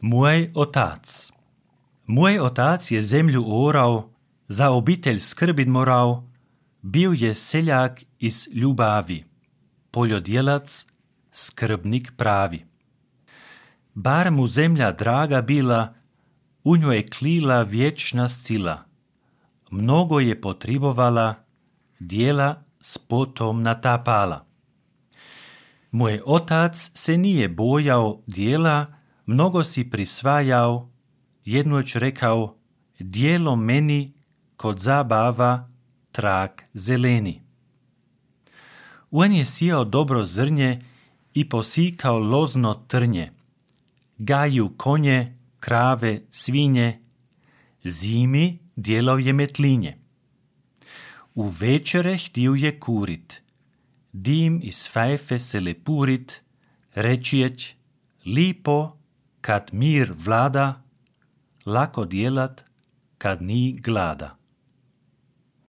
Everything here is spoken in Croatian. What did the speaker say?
Môj otac. Môj otac je zemlju orao, za obitelj skrbit morao, bio je seljak iz ljubavi, poljodjelac, skrbnik pravi. Bar mu zemlja draga bila, u njoj klila vječna sila. Mnogo je potribovala, dijela s potom natapala. Moj otac se nije bojao dijela, mnogo si prisvajao, jednoć rekao, dijelo meni kod zabava trak zeleni. On je sijao dobro zrnje i posikao lozno trnje, gaju konje, krave, svinje, zimi dijelao je metlinje. U večere htio je kurit, dim iz fajfe se lepurit, rečijeć, lipo kad mir vlada, lako djelat kad ni glada.